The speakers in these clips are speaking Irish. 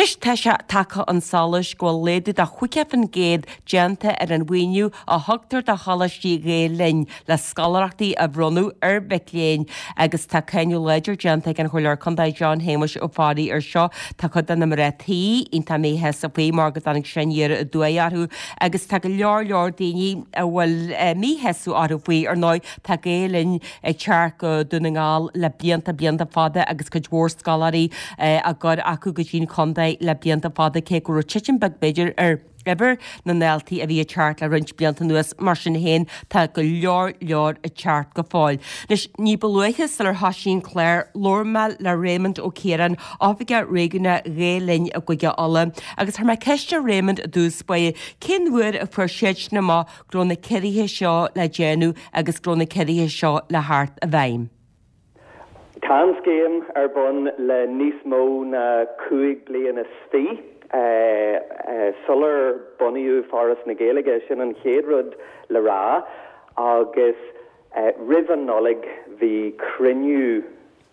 Anois tá sé tagtha chun solais go bhfuil laghdú de 50% déanta ar an mhaoiniú a thugtar do choláistí Ghael Linn le scoláireachtaí a bhronnadh ar mhic léinn agus tá cáineadh láidir déanta ag an Chomhairleoir Contae John Shéamuis Ó Fearraigh ar seo. Tá cuid de na mná tí iontach míshásta faoi mar go dtáinig sé aniar aduaidh orthu agus tá go leor leor daoine a bhfuil míshásamh orthu faoi. Ar ndóigh tá Gael Linn ag teacht go Dún na nGall le blianta blianta fada agus cuid mhór scoláirí á gcur acu go dtí'n chontae le blianta fada cé go raibh titim beag b'fhéidir ar uimhir na ndaltaí a bhí ag teacht le roinnt blianta anuas. Mar sin féin, tá go leor leor ag teacht go fóill. Anois, ní ba luaithe sular thoisigh an clár, labhair mé le Raymond Ó Ciaráin, Oifigeach Réigiúnach Ghael Linn i gCúige Uladh, agus chuir mé ceist ar Raymond i dtús báire cén uair a fuair siadsan amach go raibh na ciorruithe seo le déanamh agus go raibh na ciorruithe seo le theacht i bhfeidhm. Tá an scéim ar bun le níos mó ná 25 bliana. Sular bunaíodh Foras na Gaeilge, sin an chéad rud le rá, agus roimh an Nollaig bhí cruinniú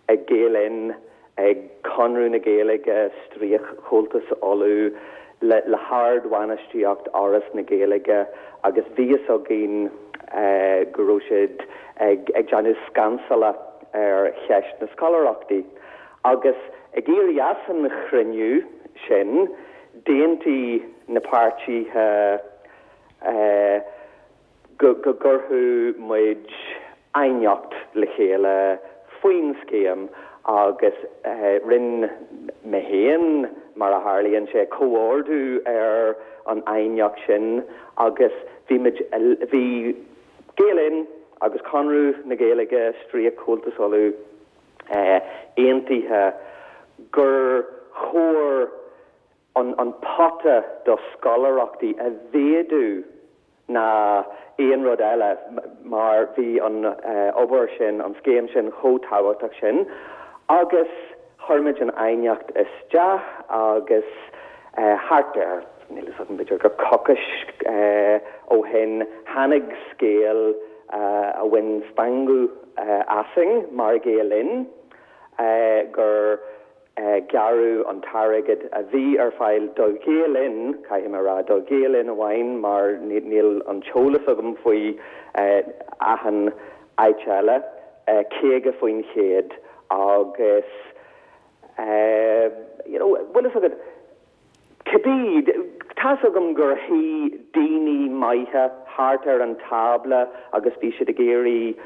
ag Gael Linn, ag Conradh na Gaeilge, Stríoc-Chomhaltas Uladh, le hardbhainistíocht Fhoras na Gaeilge agus bhí fhios againn go raibh siad ag déanamh scansála ar cheist na scoláireachtaí. Agus ag éirí as an chruinniú sin, d'aontaigh na páirtithe go gcuirfeadh muid aighneacht le chéile faoin scéim agus rinne mé féin, mar a tharlaíonn sé, comhordú ar an aighneacht sin agus bhí muid, bhí Gael Linn agus Conradh na Gaeilge, Stríoc-Chomhaltas Uladh, aontaithe gur chóir an pota do scoláireachtaí a mhéadú ná aon rud eile mar bhí an obair sin, an scéim sin chomh tábhachtach sin agus chuir muid an aighneacht isteach agus thart ar, níl fhios agam, b'fhéidir gur coicís ó shin tháinig scéal a bhain stangadh asainn mar Ghael Linn gur gearradh an t-airgead a bhí ar fáil do Ghael Linn, caithfidh mé a rá, do Ghael Linn amháin mar níl an t-eolas agam faoi achan áit eile, 50% agus you know, bhfuil fhios agat, Cibé, tá's agam gur shuigh daoine maithe thart ar an tábla agus bhí siad ag iarraidh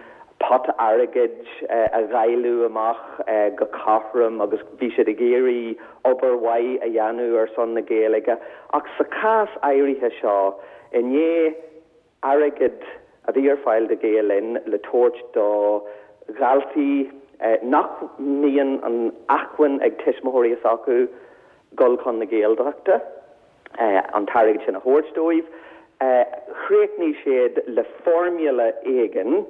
pota airgid a dháileadh amach go cothrom agus bhí siad ag iarraidh obair mhaith a dhéanamh ar son na Gaeilge ach sa chás áirithe seo, i ndiaidh airgead a bhí ar fáil do Ghael Linn le tabhairt do dhaltaí nach mbíonn an acmhainn ag tuismitheoirí s'acu dul chun na Gaeltachta, an t-airgead sin a thabhairt dóibh. Chríochnaigh siad le formula éigin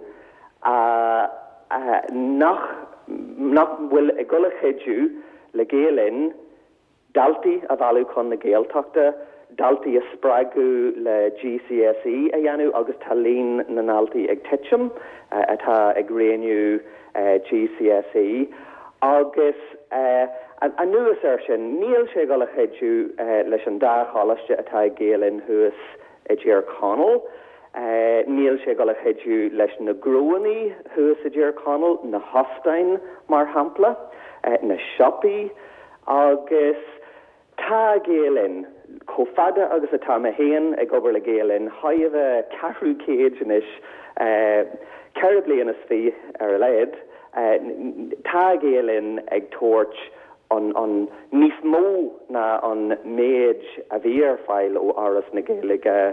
nach nach bhfuil ag dul a chuidiú le Gael Linn daltaí a mhealladh chun na Gaeltachta, daltaí a spreagadh le GCSE a dhéanamh agus tá líon na ndaltaí ag titim atá ag roghnú GCSE agus anuas air sin níl sé ag dul a chuidiú leis an dá choláiste atá ag Gael Linn thuas i dTír Chonaill. Níl sé ag dul a chuidiú leis na gnóannaí thuas i dTír Chonaill, na hóstáin mar shampla, na siopaí. Agus tá Gael Linn, chomh fada agus atá mé féin ag obair le Gael Linn, thar a bheith ceathrú céid anois, 24 bliana ar a laghad, tá Gael Linn ag tabhairt an, an, níos mó ná an méid a bhí ar fáil ó Fhoras na Gaeilge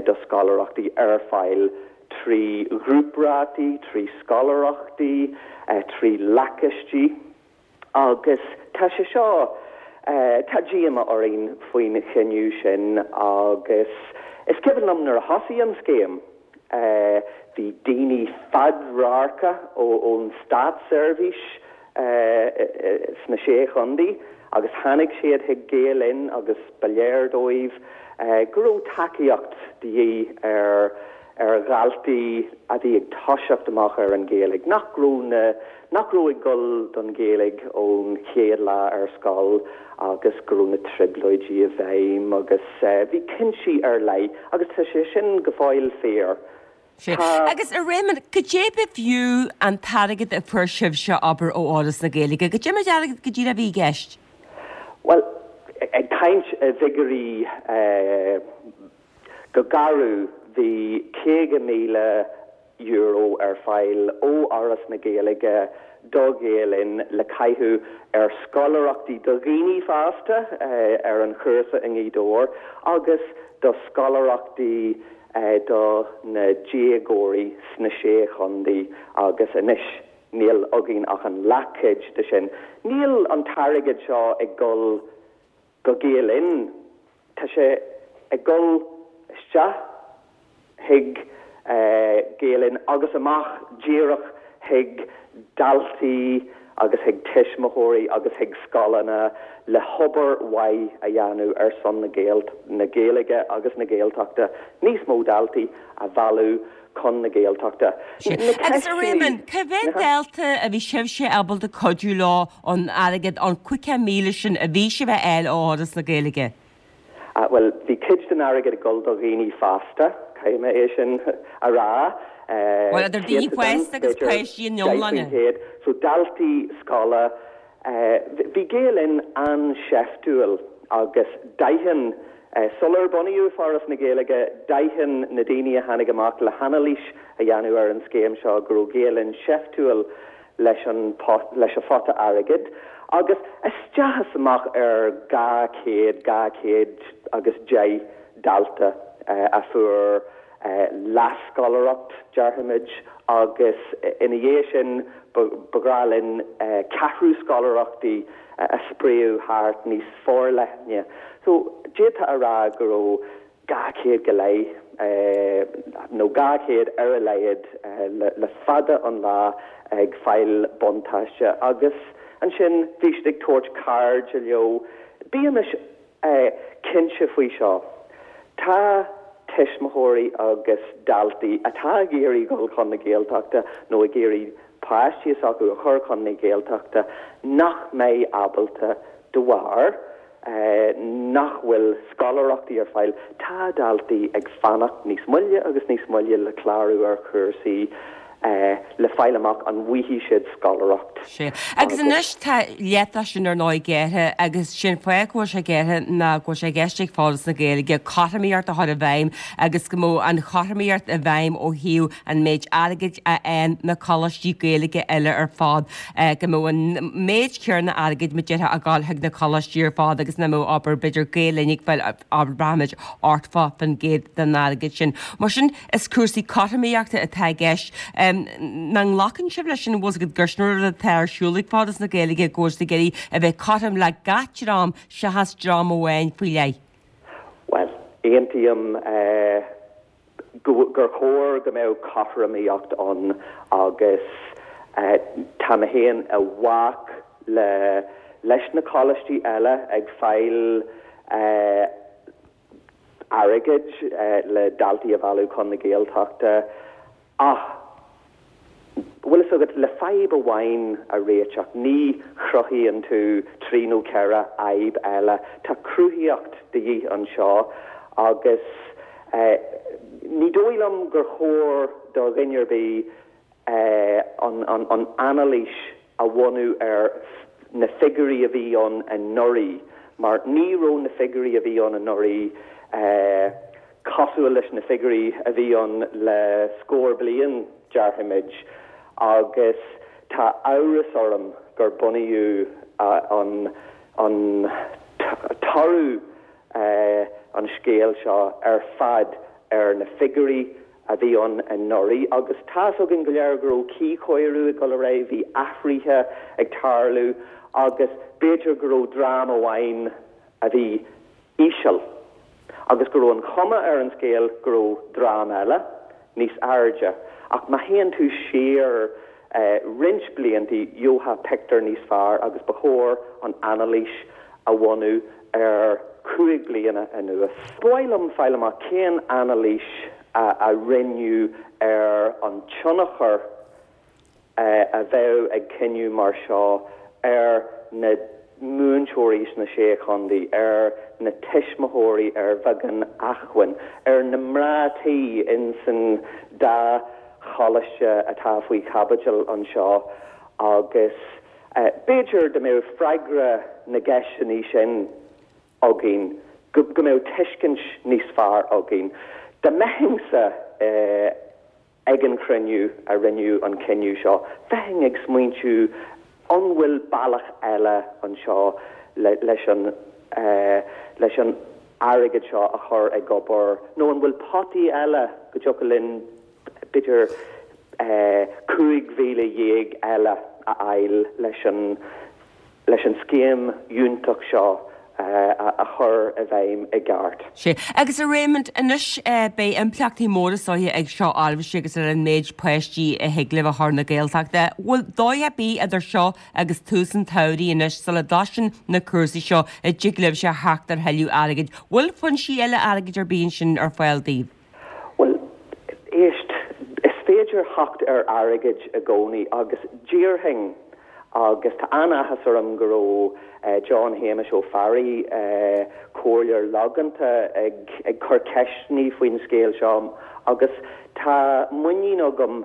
do scoláireachtaí ar fáil trí ghrúprátaí, trí scoláireachtaí, trí lacáistí. Agus tá sé seo, tá díomá orainn faoin chinneadh sin agus is cuimhin liom nuair a thosaigh an scéim, bhí daoine fadradharca ón státseirbhís sna Sé Chontae agus tháinig siad chuig Gael Linn agus ba léir dóibh go raibh tacaíocht de dhíth ar. ar dhaltaí a bhí ag toiseacht amach ar an Ghaeilge, nach raibh na, nach raibh ag dul don Ghaeilge ón chéad lá ar scoil agus go raibh na trioblóidí i bhfeidhm agus bhí cinntí ar leith agus tá sé sin go fóill fíor. Sea. Agus a Réamoinn, goidé ba bhfiú an t-airgead a fuair sibhse, abair, ó Fhoras na Gaeilge? Goidé méid airgid go díreach a bhí i gceist? Bhuel, ag caint i bhfigiúirí go garbh, bhí €50,000 ar fáil ó Fhoras na Gaeilge do Ghael Linn le caitheamh ar scoláireachtaí do dhaoine fásta ar an chúrsa i nGaoth Dobhair agus do scoláireachtaí do na déagóirí sna Sé Chontae agus anois níl againn ach an leathchuid de sin. Níl an t-airgead seo ag dul go Gael Linn, tá sé ag dul isteach chuig Gael Linn agus amach díreach chuig daltaí agus chuig tuismitheoirí agus chuig scoileanna le hobair mhaith a dhéanamh ar son na Gaeilge agus na Gaeltachta, níos mó daltaí a mhealladh chun na Gaeltachta. Sea. Agus a Réamoinn, cá mhéad dalta a bhí sibhse ábalta cuidiú leo ón airgead, an 50,000 sin a bhí sibh a fháil ó Fhoras na Gaeilge? Bhuel, bhí cuid den airgead ag dul do dhaoine fásta, caithfidh mé é sin a rá. Bhuel, idir daoine fásta agus páistí ina n-iomláine. 10%. So daltaí scoile, bhí Gael Linn an-seiftiúil agus d'aithin, sular bunaíodh Foras na Gaeilge, d'aithin na daoine a tháinig amach le hanailís a dhéanamh ar an scéim seo go raibh Gael Linn seiftiúil leis an leis an phota airgid agus isteach is amach ar 200, 210 dalta a fuair leathscoláireacht, déarfaimid, agus ina dhiaidh sin ba bhreá linn ceathrú scoláireachtaí a spréadh thart níos forleithne. So, d'fhéadfá a rá go raibh 200 go leith, nó 200 ar a laghad, le fada an lá ag fáil buntáiste agus ansin bhí siad ag tabhairt cairde leo. Bímis cinnte faoi seo, tá tuismitheoirí agus daltaí atá ag iarraidh dul chun na Gaeltachta nó ag iarraidh páistí s'acu a chur chun na Gaeltachta nach mbeidh ábalta de bharr nach bhfuil scoláireachtaí ar fáil, tá daltaí ag fanacht níos moille agus níos moille le clárú ar chúrsaí le fáil amach an bhfaighidh siad scoláireacht. Sea. Agus anois tá leath de sin ar ndóigh gearrtha agus sé'n fáth go bhfuil sé gearrtha ná go bhfuil sé i gceist ag Foras na Gaeilge cothromaíocht a chur i bhfeidhm agus go mbeadh an chothromaíocht i bhfeidhm ó thaobh an méid airgid a fhaigheann na coláistí Gaeilge eile ar fad. go mbeadh an méid céanna airgid mar a déarfá ag dul chuig na coláistí ar fad agus nach mbeadh abair b'fhéidir Gael Linn ag fáil abair braithimid 80% den airgead sin. Mar sin is cúrsaí cothromaíochta atá i gceist. Nach nglacann sibh leis sin an bhfuil fhios agat gur sin rud atá ar siúl ag Foras na Gaeilge go bhfuil siad ag iarraidh a bheith cothrom le gach dream seachas dream amháin faoi leith? Bhuel, aontaím. gur chóir go mbeadh cothromaíocht ann agus tá mé féin i bhfách le leis na coláistí eile ag fáil airgid le daltaí a mhealladh chun na Gaeltachta ach Bhfuil fhios agat, le fadhb amháin a réiteach, ní chruthaíonn tú trí nó ceithre fhadhb eile. Tá cruthaíocht de dhíth anseo agus ní dóigh liom gur chóir do dhuine ar bith an anailís a bhunú ar na figiúirí a bhí ann anuraidh mar ní raibh na figiúirí a bhí ann anuraidh cosúil leis na figiúirí a bhí ann le scór bliain, déarfaimid, agus tá amhras orm gur bunaíodh an an toradh an scéil seo ar fad ar na figiúirí a bhí ann anuraidh. Agus tá's againn go léir go raibh cuíchóiriú ag dul ar aghaidh, bhí athruithe ag tarlú agus b'fhéidir go raibh dream amháin a bhí íseal agus go raibh an chuma ar an scéal go raibh dream eile níos airde. Ach má théann tú siar roinnt bliantaí gheofá pictiúr níos fearr agus ba chóir an anailís a bhunú ar chúig bliana anuas. Ba mhaith liom fáil amach cén anailís. a rinneadh ar an tionchar a bheadh ag cinneadh mar seo ar na múinteoirí sna Sé Chontae, ar na tuismitheoirí ar bheagán acmhainn, ar na mná tí insan dá choláiste atá faoi chaibidil anseo agus b'fhéidir dá mbeadh freagra na gceisteanna sin againn, go mbeadh tuiscint níos fearr againn. Dá mbeinnse ag an chruinniú a rinneadh an cinneadh seo, bheinn ag smaointiú an bhfuil bealach eile anseo leis an leis an airgead seo a chur ag obair nó an bhfuil potaí eile go dtiocfadh linn b'fhéidir 15,000 eile a fháil leis an leis an scéim fhiúntach seo a chur i bhfeidhm i gceart. Sea. Agus a Raymond, anois beidh impleachtaí móra is dóiche ag seo oraibhse agus ar an méid páistí a thig libh a chur na Gaeltachta. Bhfuil dóigh ar bith idir seo agus tús an tsamhraidh anois sula dtosaíonn na cúrsaí seo a dtig libhse a theacht ar thuilleadh airgid? Bhfuil foinsí eile airgid ar bith ansin ar fáil daoibh? Bhuel, éist, is féidir theacht ar airgead i gcónaí agus déarfainn, agus tá an-áthas orm go raibh John Shéamais Ó Fearraigh, Comhairleoir logánta, ag cur ceisteanna faoin scéal seo agus tá muinín agam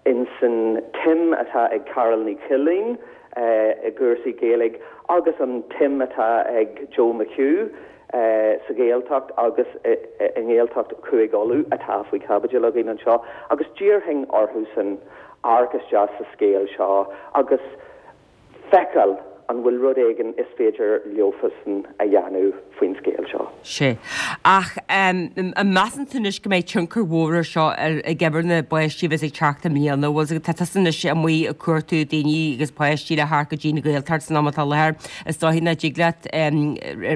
insan tsuim atá ag Carál Ní Chuilín i gcúrsaí Gaeilge agus an tsuim atá ag Joe McHugh sa Ghaeltacht agus i nGaeltacht Chúige Uladh atá faoi chaibidil againn anseo agus d'iarrfainn orthusan amharc isteach sa scéal seo agus feiceáil an bhfuil rud éigin is féidir leofasan a dhéanamh faoin scéal seo. Sea. Ach an measann tú anois go mbeidh tionchar mhór ar seo ar ag uimhir na bpáistí a bheas ag teacht i mbliana? Bhfuil 's agat, tá tusa anois amuigh ag cuartú daoine agus páistí le theacht go dtí an Ghaeltacht san am atá i láthair. Is dóiche nach dtig leat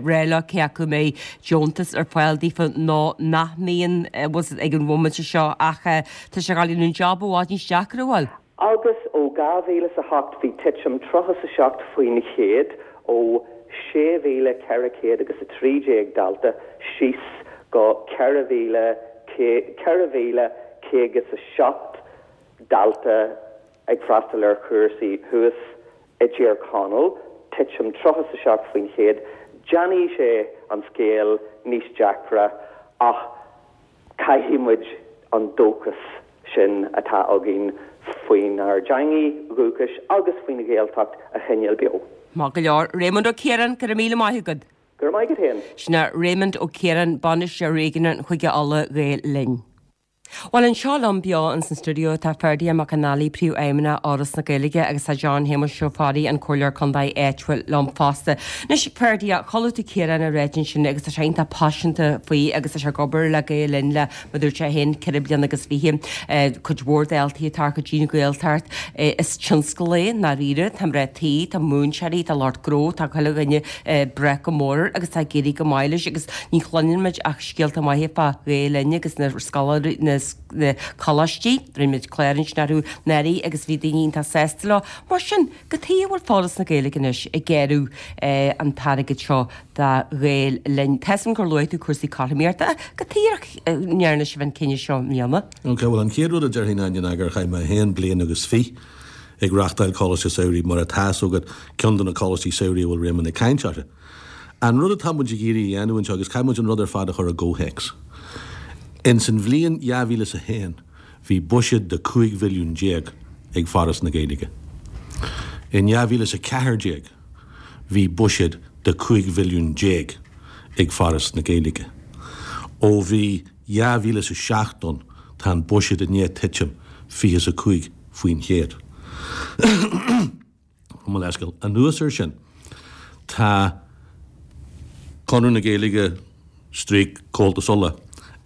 rá leo cé acu an mbeidh deontas ar fáil daofa nó nach mbíonn, bhfuil 's agat, ag an bhomaite seo ach tá sé ag dul a dhéanamh an job i bhfad níos deacra, an bhfuil? Agus ó 2008 bhí titim 37% ó 6,413 dalta síos go 4,407 dalta ag freastal ar chúrsaí thuas i dTír Chonaill, titim 37%. Déanfaidh sé an scéal níos deacra ach Caithfidh muid an dóchas sin atá againn faoinár dteangaidh dhúchais agus faoin Ghaeltacht a choinneáil beo. Maith go leor. Raymond Ó Ciaráin, go raibh míle maith agat. Go raibh maith agat féin. Sin é Raymond Ó Ciaráin, Bainisteoir Réigiúnach Chúige Uladh, Gael Linn. Bhuel, anseo liom beo ins an stiúideo tá Ferdia Mac Con Ailí, Príomhfheidhmeannach Fhoras na Gaeilge agus tá John Shéamuis Ó Fearraigh, an Comhairleoir Contae áitiúil liom fosta. Anois, Ferdia, chuala tú Ciarán ag ráit ansin agus tá sé iontach paiseanta faoi agus tá sé ag obair le Gael Linn le, mar a dúirt sé féin, 4 bliana agus 20. Cuid mhór daltaí ag teacht go dtí an Ghaeltacht. Is tionscal é, i ndáiríre. Tá mná tí, tá múinteoirí, tá lucht gnó, tá chuile dhuine ag brath go mór air agus tá ag éirí go maith leis agus ní chluineann muid ach scéalta maithe fá Ghael Linn agus na scoláirí, na coláistí. Rinne muid clár ansin orthu anuraidh agus bhí daoine iontach sásta leo. Mar sin, Cad chuige a bhfuil Foras na Gaeilge anois ag gearradh an t-airgead seo do Ghael Linn? Tá 'fhios a'm gur luaigh tú cúrsaí cothromaíochta. Cad chuige a ndearna sibh an cinneadh seo i mbliana? Ok, bhuel an chéad rud a déarfainn Áine ná gur chaith mé féin bliain agus fiche ag reachtáil Coláiste Samhraidh mar atá 'fhios agat, ceann de na coláistí samhraidh a bhfuil Réamonn ag caint orthu. An rud atá muid ag iarraidh a dhéanamh anseo, agus caithfidh muid an rud ar fad a chur i gcomhthéacs. Ins an bhliain 2001, Bhí buiséad de 15 mhilliún ag Foras na Gaeilge. In 2014 bhí buiséad de 15 mhilliún ag Foras na Gaeilge. Ó bhí 2007 ann tá an buiséad i ndiaidh titim 25%. Mo leithscéal. Anuas air sin, tá Conradh na Gaeilge stríoc Comhaltas Uladh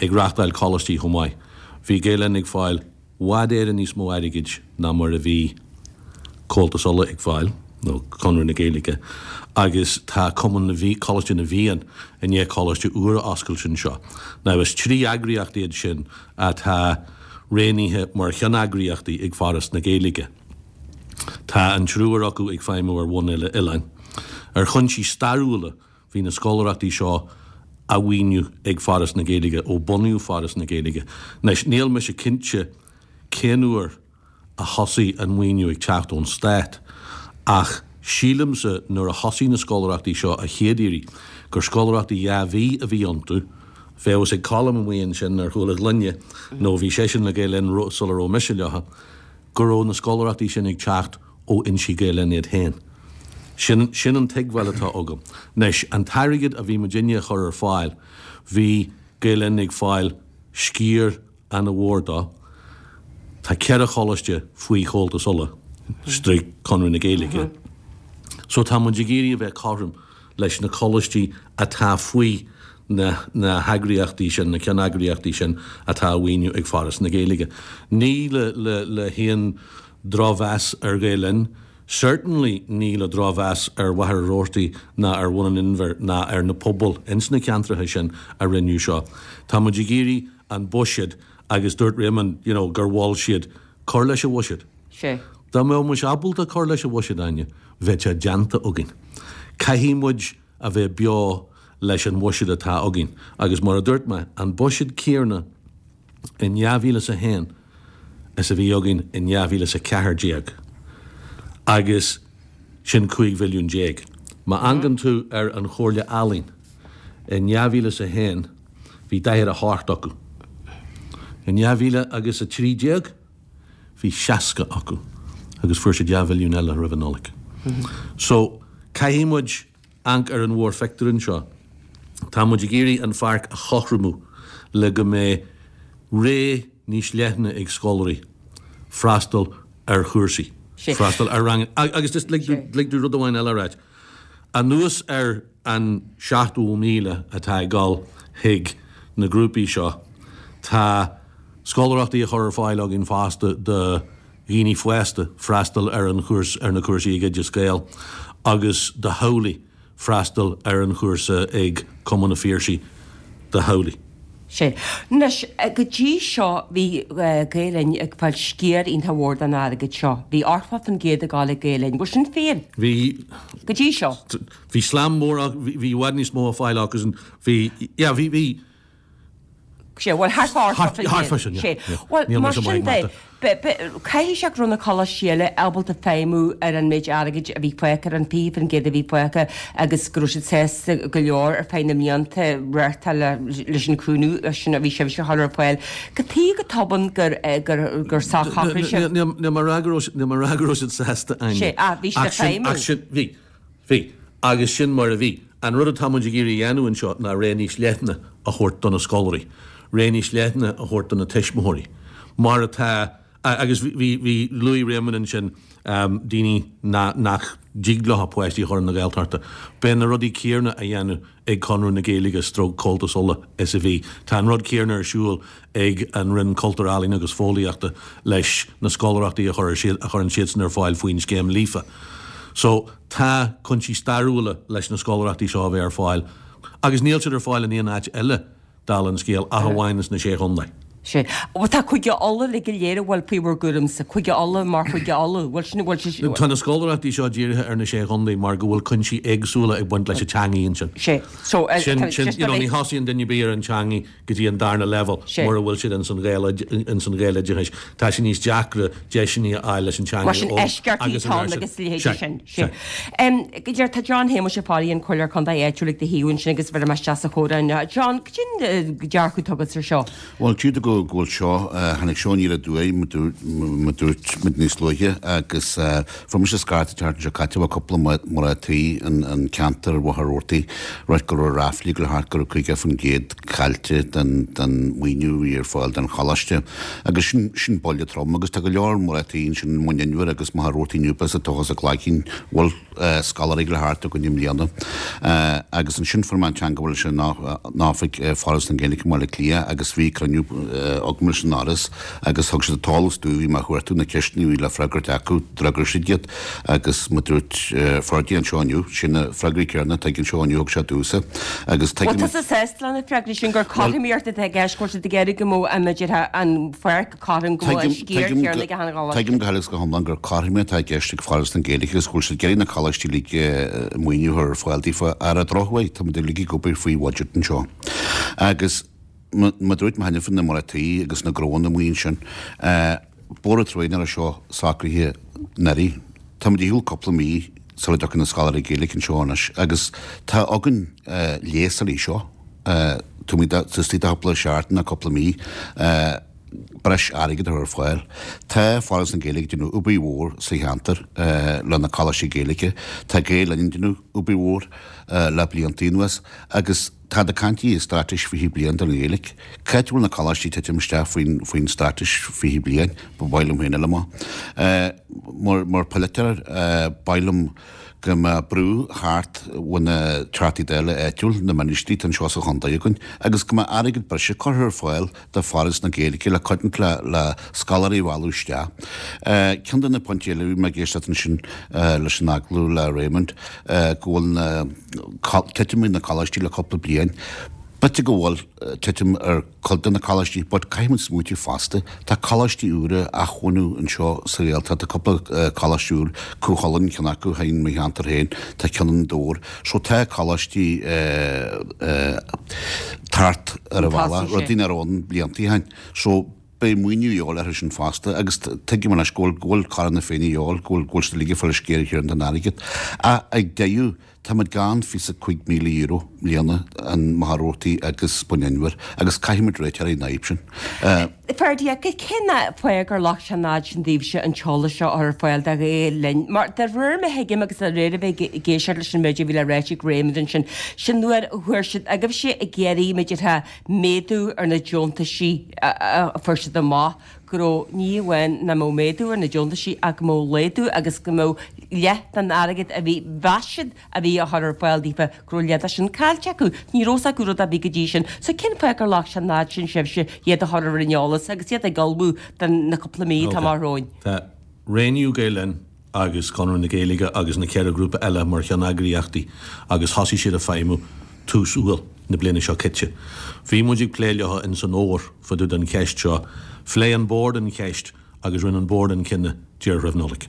ag reachtáil coláistí chomh maith. Bhí Gael Linn ag fáil bhfad Éireann níos mó airgid ná mar a bhí Comhaltas Uladh ag fáil, nó Conradh na Gaeilge, agus tá Cumann na bhFiann, Coláiste na bhFiann i ndiaidh coláiste úr a oscailt anseo. Now is 3 eagraíocht iad sin atá roghnaithe mar cheanneagraíochtaí ag Foras na Gaeilge. Tá an triúr acu ag feidhmiú ar bhonn uile-oileáin. Ar chúinsí stairiúla, bhí na scoláireachtaí seo. á mhaoiniú ag Foras na Gaeilge ó bunaíodh Foras na Gaeilge. Anois, níl mise cinnte cén uair a thosaigh an maoiniú ag teacht ón Stát ach sílimse nuair a thosaigh na scoláireachtaí seo a chéad iarraidh gur scoláireachtaí 2 mhí a bhí iontu, bheadh a fhios ag Colm amuigh ansin ar chúl a ghloine nó bhí seisean le Gael Linn sula raibh mise leo, go raibh na scoláireachtaí sin ag teacht ó fhoinsí Gael Linn iad féin. Sin, sin an tuigbheáil atá agam. Anois, an t-airgead a bhí muidinne a chur ar fáil, bhí Gael Linn ag fáil sciar ana-mhór dó. Tá 4 choláiste faoi Chomhaltas Uladh, stroke Conradh na Gaeilge. So tá muid ag iarraidh a bheith cothrom leis na coláistí atá faoi na na heagraíochtaí sin, na ceanneagraíochtaí sin atá á mhaoiniú ag Foras na Gaeilge. Ní le le le haon drochmheas ar Ghael Linn, certainly ní le drochmheas ar Mhachaire Rabhartaigh ná ar Bhun an Inbhir ná ar na pobail ins na ceantracha sin a rinneadh seo. Tá muid ag iarraidh an buiséad agus dúirt Réamonn you know gur mhol siad cur leis an bhuiséad. Sea. Dá mbeadh muis ábalta cur leis an bhuiséad, Áine, bheadh sé déanta againn. Caithfidh muid a bheith beo leis an bhuiséad atá againn agus mar a dúirt mé, an buiséad céanna in 2001 is a bhí againn in 2014 agus sin 15 mhilliún. Má amharcann tú ar an Chomhairle Ealaíon in 2001 bhí 48 acu. In 2013 bhí 60 acu agus fuair siad 2 mhilliún eile roimh an Nollaig. So caithfidh muid amharc ar an mhórphictiúr anseo. Tá muid ag iarraidh an pháirc a chothromú le go mbeidh rogha níos leithne ag scoláirí freastal ar chúrsaí, freastal ar ranganna. Agus just lig domh rud amháin eile a ráit. Anuas ar an 70,000 atá ag dul chuig na grúpaí seo, tá scoláireachtaí á chur ar fáil againn fosta do dhaoine fásta freastal ar an chúrsa, ar na cúrsaí ag Oideas Gael agus do theaghlaigh freastal ar an chúrsa ag Cumann an Phiarsaigh do theaghlaigh. Sea. Anois, go dtí seo bhí Gael Linn ag fáil sciar iontach mhór den airgead seo. Bhí 80% ag dul ag Gael Linn. Bhfuil sin fíor? Bhí. Go dtí seo. Bhí slam mór, bhí i bhfad níos mó á fáil acusan. Bhí, yeah, bhí, bhí. Sea, bhuel, thart fá 80%. Thart fá sin, yeah. Sea. Bhuel, mar sin de, caithfidh sé go raibh na coláistí eile ábalta feidhmiú ar an méid airgid a bhí fágtha, ar an 20% a bhí fágtha agus go raibh siad sásta go leor ar feadh na mblianta reáchtáil leis an chúnamh sin a bhí sibhse a chur ar fáil. Cad chuige go tobann gur gur shocraigh sibh. Níl mé ag rá go raibh, níl mé ag rá go raibh siad sásta, Áine. Sea, ah, bhí siad ag feidhmiú. Ach sin, bhí. Bhí. Agus sin mar a bhí. An rud atá muid ag iarraidh a dhéanamh anseo ná rogha níos leithne a thabhairt do na scoláirí, rogha níos leithne a thabhairt do na tuismitheoirí. Mar atá, agus bhí, bhí, luaigh Réamonn ansin daoine nach dtig leo a bpáistí a chur chun na Gaeltachta. Beidh na rudaí céanna á dhéanamh ag Conradh na Gaeilge stroke Comhaltas Uladh is a bhí. Tá an rud céanna ar siúl ag an Roinn Cultúir, Ealaíon agus Fóillíochta leis na scoláireachtaí a chuireann siadsan ar fáil faoin scéim Líofa. So, tá cúinsí stairiúla leis na scoláireachtaí seo a bheith ar fáil agus níl siad ar fáil in aon áit eile, dála an scéil, ach amháin sna Sé Chontae. Sea. Bhuel, tá Cúige Uladh uilig go léir a bhfuil faoi bhur gcúramsa. Cúige Uladh mar Chúige Uladh. Bhfuil sin, bhfuil sé. Tá na scoláireachtaí seo dírithe ar na Sé Chontae mar go bhfuil cúinsí éagsúla ag baint leis an teangaidh ansin. Sea. So, Sin, sin, you know, ní thosaíonn duine ar bith ar an teangaidh go dtí an darna leibhéal mura bhfuil siad ins an ins an Ghaeloideachais. Tá sé níos deacra deiseanna a fháil leis an teanga Mar sin eisceachtaí atá ann agus a leithéidí sin. Sea. Go deimhin, tá John Shéamuis Ó Fearraigh, an Comhairleoir Contae áitiúil ag do thaobh ansin agus bheir mé isteach sa chomhrá inniu. John, cad é an dearcadh atá agat ar seo? Bhuel, tchítear go bhfuil seo, tháinig seo aniar aduaidh, mar dúirt muid níos luaithe, agus fuair mise scairt an tseachtain seo caite ó cúpla mná tí in ceantar Mhachaire Rabhartaigh, ráit go raibh ráflaí ag dul thart go raibh 50% caillte den maoiniú a bhí ar fáil don choláiste. Agus sin, sin buille trom agus tá go leor mná tí ansin i mBun Inbhir agus Machaire Rabhartaigh Newport sa Tochas a Cloigín, bhfuil scoláirí ag dul thart againn i mbliana. Agus ansin fuair mé an teagmháil leis an oifig Foras na Gaeilge i mBaile Átha Cliath agus bhí cruinniú. agam leis an Fhoras agus thug siad an t-eolas domh a bhí mé a chuartú, na ceisteanna a bhí le freagairt acu, d'fhreagair siad iad agus mar a dúirt Ferdia anseo inniu, sin na freagraí céanna atá aige anseo inniu thug sé domhsa agus tuigim. Bhfuil tusa sásta le na freagraí sin gur cothromaíocht atá i gceist, go bhfuil siad ag iarraidh go mbeadh an, b'fhéidir, an pháirc cothrom, go mbeadh an sciar céanna ag achan choláiste? Tuigim go huile is go hiomlán gur cothromaíocht atá i gceist ag Foras na Gaeilge agus go bhfuil siad ag iarraidh na coláistí uilig maoiniú a chur ar fáil daofa. Ar an drochuair, táimid uilig ag obair faoi bhuiséad anseo. Agus mar a dúirt mé cheana faoi na mná tí agus na gnóanna amuigh ansin, Bóthar Troim nach raibh seo socraithe anuraidh. Táimid ar shiúl cúpla mí sula dtiocfaidh na scoláirí Gaeilge anseo anois agus tá againn léasáil seo, táimid istigh de chúpla seachtain nó cúpla mí, breis airgid a chur ar fáil. Tá Foras na Gaeilge ag déanamh obair mhór sa cheantar le na coláistí Gaeilge. Tá Gael Linn ag déanamh obair mhór le blianta anuas agus táid ag caint i Straitéis 20 Bliain don Ghaeilge. Cá háit a bhfuil na coláistí ag titim isteach faoin faoin Straitéis 20 Bliain? Ba mhaith liom féin a fháil amach. Mar mar pholaiteoir ba mhaith liom go mbeadh brú thart ó na Teachtaí Dála áitiúil, na ministrí atá anseo sa chontae againn agus go mbeadh airgead breise curtha ar fáil do Foras na Gaeilge le cosaint le le scoláirí a mhealladh isteach. Ceann de na pointí eile, bhí mé ag éisteacht ansin leis an agallamh le Raymond, go bhfuil na titim ar na coláistí le cúpla bliain. B'fhéidir go bhfuil titim ar cuid de na coláistí but caithfidh muid smaoitiú fosta, tá coláistí úra á mbunú anseo sa Ghaeltacht, tá cúpla coláiste úr, Cú Chulainn ceann acu in mo cheantar féin, tá ceann in Dobhar. So tá coláistí thart ar an bhealach, rudaí nach raibh ann blianta ó shin. So beidh maoiniú a dhíobháil orthu sin fosta agus tuigim anois go bhfuil, go bhfuil Cara na Féinne a dhíobháil, go bhfuil, go bhfuil siad uilig ag fáil an sciar chéanna den airgead. Ach ag deireadh, táimid gann €25,000 i mbliana in Machaire Rabhartaigh agus Bun Inbhir agus caithfimid réiteach ar an fhadhb sin. Ferdia, cén fáth gur ghlac sé an fhad sin daoibhse an t-eolas seo a chur ar fáil do Ghael Linn? Mar de réir mar a thuigim agus de réir a bheith ag éisteacht leis an méid a bhí le ráit ag Raymond ansin, sin nuair a fuair siad agaibhse ag iarraidh, b'fhéidir, méadú ar na deontaisí a fuair siad amach go raibh ní amháin nach mbeadh méadú ar na deontaisí ach go mbeadh laghdú agus go mbeadh leath den airgead a bhí, mheas siad a bhí á chur ar fáil daofa, go raibh leath de sin caillte acu. Ní raibh fhios acu rud ar bith go dtí sin. So cén fáth gur ghlac sé an fhad sin sibhse iad a chur ar an eolas agus iad ag ullmhú don na cúpla mí atá amach romhainn? Tá roghnaíodh Gael Linn agus Conradh na Gaeilge agus na 4 grúpa eile mar cheanneagraíochtaí agus thosaigh siad ag feidhmiú tús Iúil na bliana seo caite. Bhí muid ag plé leo ins an fhómhar fá dtaobh den cheist seo. Phléigh an Bord an cheist agus rinne an Bord an cinneadh díreach roimh Nollaig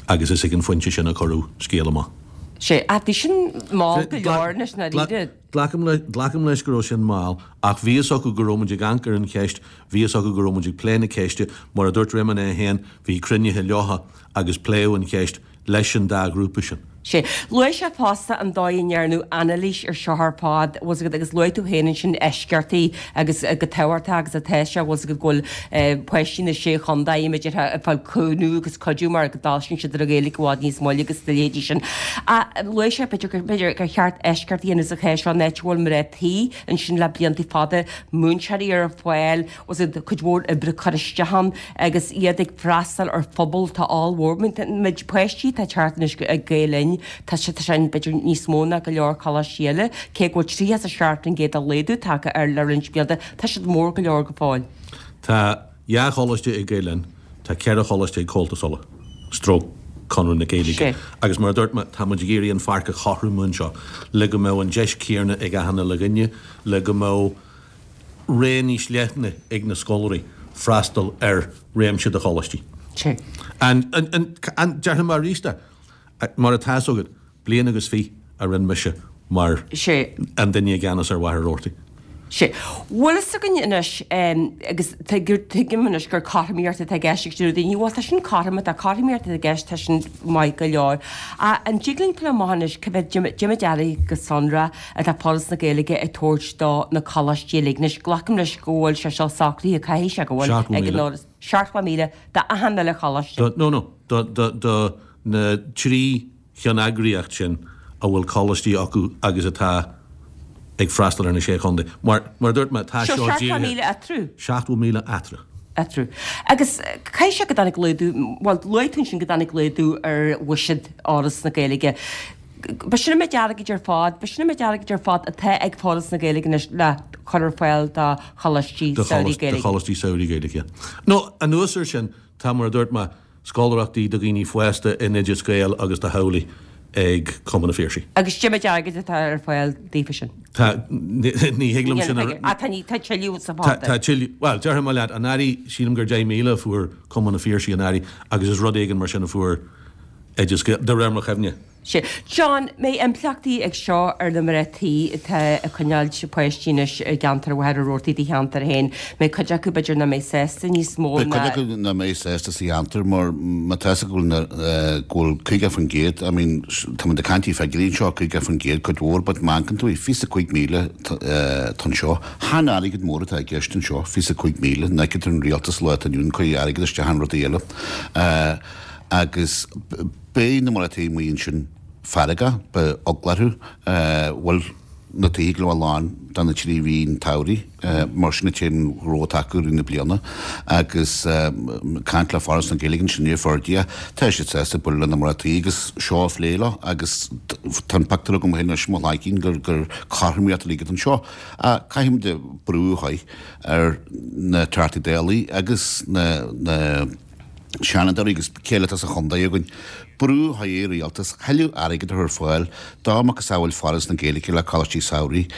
agus is ag an phointe sin a cuireadh scéal amach. Sea, ach bhí sin mall go leor anois, ndáiríre. Glacaim glacaim leis go raibh sin mall, ach bhí fhios acu go raibh muid ag amharc ar an cheist, bhí fhios acu go raibh muid ag plé na ceiste, mar a dúirt Réamonn é féin, bhí cruinnithe leotha agus pléadh an cheist leis an dá ghrúpa sin. Sea. Luaigh sé fosta an dóigh a ndearnadh anailís ar seo ar fad, bhfuil 's agat, agus luaigh tú féin ansin eisceachtaí agus go tábhachtach agus atá sé, bhfuil 's agat, go bhfuil páistí na Sé Chontae, b'fhéidir, ag fáil cúnamh agus cuidiú mar go dtosaíonn siad ar an Ghaeilge i bhfad níos moille agus a leithéidí sin. Ach luaigh sé, b'fhéidir, gur, b'fhéidir, gur cheart eisceacht a dhéanamh sa chás seo, an áit a bhfuil mná tí ansin le blianta fada, múinteoirí ar fáil, bhfuil 's agat, cuid mhór oibre curtha isteach ann agus iad ag freastal ar phobal atá ollmhór. An méid páistí atá ag teacht anois ag Gael Linn, tá sé, tá sé b'fhéidir níos mó ná go leor coláistí eile, cé go bhfuil 37% de laghdú tagtha air le roinnt blianta, tá siad mór go leor go fóill. Tá dhá choláiste ag Gael Linn, tá ceithre choláiste ag Comhaltas Uladh, stroke Conradh na Gaeilge. Agus mar a dúirt mé, tá muid ag iarraidh an pháirc a chothromú anseo le go mbeadh an deis céanna ag achan uile dhuine, le go mbeadh rogha níos leithne ag na scoláirí freastal ar réimse de choláistí. An, an, an, déarfaidh mé arís é, mar atá fhios agat, bliain agus fiche a rinne mise mar an duine i gceannas ar Mhachaire Rabhartaigh. Sea. Bhfuil fhios againn anois, agus tuigim anois gur cothromaíocht atá i gceist ag deir daoine, bhuel tá sin cothrom, tá cothromaíocht atá i gceist, tá sin maith go leor. Ach an dtig linn fáil amach anois cá mhéad, cad é mar airgead go sonrach atá Foras na Gaeilge ag tabhairt do na coláistí uilig. Anois, glacaim leis go bhfuil sé seo socraithe, caithfidh sé go bhfuil, ag an Fhoras. 70,000 d'achan uile choláiste. Do, no, no, do, do, do na trí cheanneagraíocht sin a bhfuil coláistí acu agus atá ag freastal ar na Sé Chontae. Mar, mar a dúirt mé, tá seo dírithe. 70,000 eatarthu. 70,000 eatarthu. Eatarthu. Agus caithfidh sé go dtáinig laghdú, bhuel, luaigh tú ansin go dtáinig laghdú ar bhuiséad Fhoras na Gaeilge. B'shin an méid airgid ar fad, b'shin an méid airgid ar fad atá ag Foras na Gaeilge anois le cur ar fáil do choláistí samhraidh Gaeilge. Do choláistí samhraidh Gaeilge, yeah. Nó, anuas air sin, tá, mar a dúirt mé, scoláireachtaí do dhaoine fásta in Oideas Gael agus do theaghlaigh ag Cumann an Phiarsaigh. Agus cad é méid airgid atá ar fáil daofa sin? Tá, ní thig liom sin a. Ah, tá, tá tuilleadh sa phota. Tá tuilleadh, bhuel, déarfaidh mé leat, anuraidh, sílim gur 10,000 a fuair Cumann an Phiarsaigh anuraidh agus is rud éigin mar sin a fuair Oideas Gael, de réir mo chuimhne. Sea. John, mbeidh impleachtaí ag seo ar na mná tí atá ag coinneáil páistí anois i gceantar Mhachaire Rabhartaigh, do cheantar féin. Mbeidh cuid acu b'fhéidir nach mbeidh sásta níos mó ná. Beidh cuid acu nach mbeidh sásta sa cheantar mar má tá 'fhios acu go bhfuil go bhfuil 50%, I mean tá muid ag caint i figiúirí anseo, 50% cuid mhór but má amharcann tú 25,000 atá anseo. Chan airgead mór atá i gceist anseo, 25,000, an fheiceann tú an rialtas lá atá inniu ann ag cur airgead isteach in rudaí eile. Agus beidh na mná tí amuigh ansin feargach, beidh eagla orthu, bhfuil na tithe go leor lán do na trí mhí an tsamhraidh, mar sin an t-aon ghnó atá acu i rith na bliana. Agus caint le Foras na Gaeilge ansin i Ferdia, tá siad sásta bualadh le na mná tí agus seo a phlé leo agus tá an pictiúr agam féin anois i mo chloigeann gur gur cothromaíocht uilig atá anseo. Ach caithfimid brú a chur ar na Teachtaí Dála agus na na Seanadóirí agus cé eile atá sa chontae againn, brú a chur ar an rialtas thuilleadh airgid a chur ar fáil dá macasamhail Foras na Gaeilge le coláistí samhraidh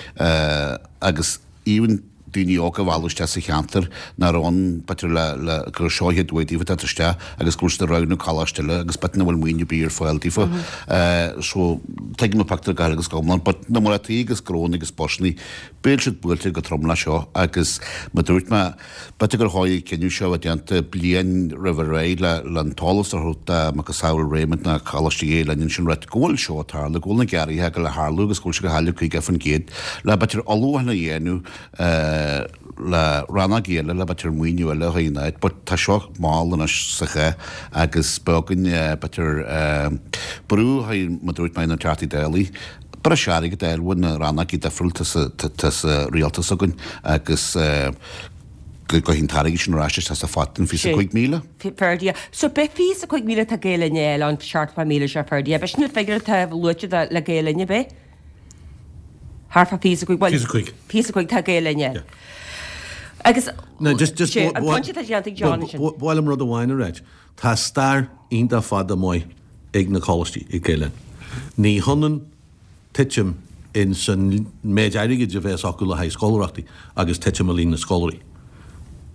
agus even daoine óga a mhealladh isteach sa cheantar nach raibh ann b'fhéidir le le gur seo an chéad uair daofa teacht isteach agus go bhfuil siad ag roghnú coláiste eile agus b'fhéidir nach bhfuil maoiniú ar bith ar fáil daofa. So tuigim an pictiúr go huile agus go hiomlán but na mná tí agus gnónna agus busannaí beidh siad buailte go trom le seo agus mar dúirt mé B'fhéidir gur chóir an cinneadh seo a bheith déanta bliain roimh ré le an t-eolas a thabhairt do macasamhail Raymond na Coláiste Gael Linn ansin right go bhfuil seo ag tarlú, go bhfuil na gearraithe ag dul a tharlú agus go bhfuil sé ag cailleadh 50% le b'fhéidir ullmhúchán a dhéanamh le rannógaí eile le b'fhéidir maoiniú eile a chur in áit but tá seo mall anois sa chath agus beidh againn b'fhéidir brú a chur mar dúirt mé ar na Teachtaí Dála breis airgid a fháil ó na rannógaí difriúla atá sa rialtas againn agus go gcuirfidh an t-airgead sin ar ais isteach sa phota an 25,000. Ferdia. So b'é 25,000 atá Gael Linn a fháil an 70,000 seo Ferdia. B'é sin an figiúr atá luaite le Gael Linn, ab é? Thart fá 25, bhuel, 25. 25 tá Gael Linn a fháil. Agus No, just, just, sé, an pointe atá déanta ag John ansin. Ba mhaith liom rud amháin a ráit. Tá stair iontach fada maith ag na coláistí ag Gael Linn. Ní hionann titim in san méid airgid a bheas acu le haghaidh scoláireachtaí agus titim i líon na scoláirí.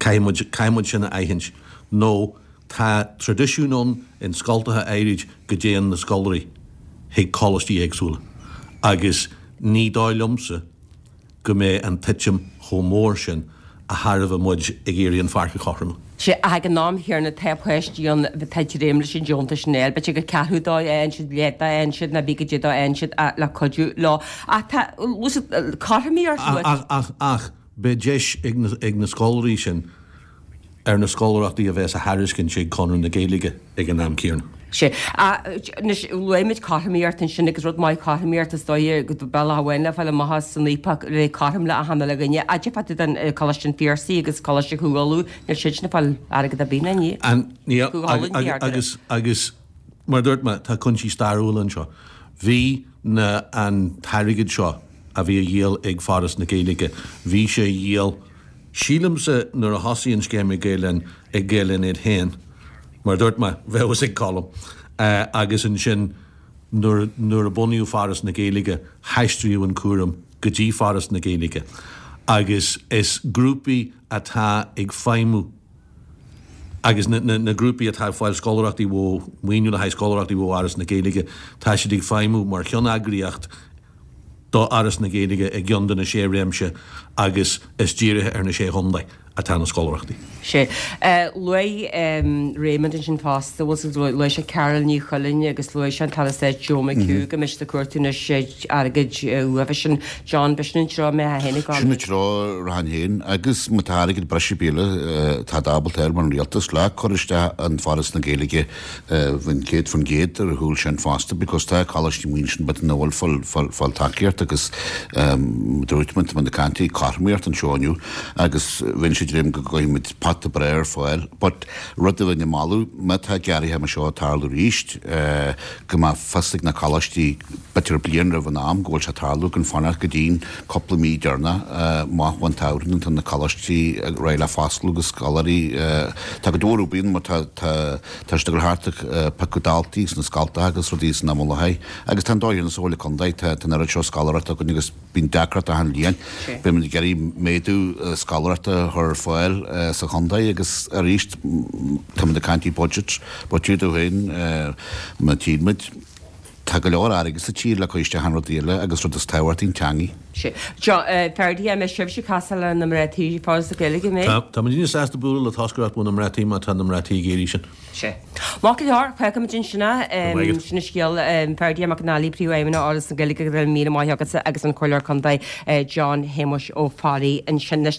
Caithfidh muid, caithfidh muid sin a aithint nó tá traidisiún ann in scoltacha áirid go dtéann na scoláirí chuig coláistí éagsúla agus ní dóigh liomsa go mbeidh an titim chomh mór sin a thairbhe muid ag iarraidh an pháirc a chothromú. Sea, ach ag an am chéanna tá páistí ann atá ag dréim leis an deontas sin a fháil. B'fhéidir gur ceathrú dó a fhaigheann siad, leath dó a fhaigheann siad, nó bí goidé dó a fhaigheann siad le cuidiú leo. Ach tá cothromaíocht luaite. Ach, ach, ach, beidh deis ag na scoláirí sin ar na scoláireachtaí a bheas á thairiscint ag Conradh na Gaeilge ag an am céanna. Sea. Anois, luaigh muid cothromaíocht ansin agus rud maith cothromaíocht is dóigh go bealach amháin le fáil amach as san IPAC le cothrom le achan uile dhuine. Cad é fá dtaobh den Coláiste an Phiarsaigh agus Coláiste Chú Uladh, níl siadsan ag fáil airgead ar bith ná ní. An, ní, agus, agus mar a dúirt mé, tá cúinsí stairiúla anseo. Bhí na, an t-airgead seo a bhí á dhíol ag Foras na Gaeilge, bhí sé á dhíol, Sílimse nuair a thosaigh an scéim ag Gael Linn, ag Gael Linn iad féin, mar a dúirt mé, bheadh fhios ag Colm, agus ansin nuair nuair a bunaíodh Foras na Gaeilge, haistríodh an cúram go dtí Foras na Gaeilge agus is grúpaí atá ag feidhmiú agus na na na grúpaí atá ag fáil scoláireachtaí ó maoiniú le haghaidh scoláireachtaí ó Fhoras na Gaeilge, tá siad ag feidhmiú mar cheanneagraíocht do Fhoras na Gaeilge i gceann de na sé réimse agus is dírithe ar na sé chontae atá na scoláireachtaí. Sea. Luaigh Raymond ansin fosta, bhfuil 's agat, luaigh sé Carál Ní Chuilinn agus luaigh sé an tAire Stáit Joe McHugh go mbeidh siad ag cuartú anois airgid uathu sin. John, b'shin an treo a mbeifeá féin ag gabháil. Sin an treo a rachainn féin agus má tá airgead breise ar bith eile atá ábalta a fháil ón rialtas le cur isteach in Foras na Gaeilge Bheinn 100% ar a chúl sin fosta because tá coláistí amuigh ansin b'fhéidir nach bhfuil ag fáil tacaíocht agus dúirt muid tá muid ag caint cothromaíocht anseo inniu agus bheinn sé. dréim go gcuirfidh muid pota breá ar fáil. But rud a bheinn ag moladh, má tá gearraithe mar seo ag tarlú arís, go mbeadh fios ag na coláistí b'fhéidir bliain roimh an am go bhfuil sé ag tarlú, gan fanacht go dtí'n cúpla mí deireanach amach ón tsamhradh nuair atá na coláistí réidh le foscladh agus scoláirí, tá go leor obair mar tá tá tá siad ag dul thart ag piocadh daltaí sna scoltacha agus rudaí san am i láthair agus tá an dóigh ar sa bhaile contae tá an oiread seo scoláireachta againn agus Bíonn deacracht achan bhliain. Beidh muid ag iarraidh méadú scoláireachta a chur ar fáil sa chontae agus arís tá muid ag caint faoi budget, but dúirt féin má tchíonn muid, tá go leor airgead sa tír le cur isteach in rudaí eile agus rud is tábhachtaí an teangaidh. Sea. John, Ferdia, an mbeidh sibhse ag casadh le na mná tí Foras na Gaeilge, an mbeidh? Tá, tá muidinne sásta bualadh le toscaireacht ó na mná tí má tá na mná tí ag iarraidh sin. Sea. Maith go leor, fágfaimid ansin é. Sin an scéal. Ferdia McAnally, Príomhfheidhmeannach Fhoras na Gaeilge, go raibh míle maith agatsa agus an Comhairleoir Contae John Shéamuis Ó Fearraigh ansin.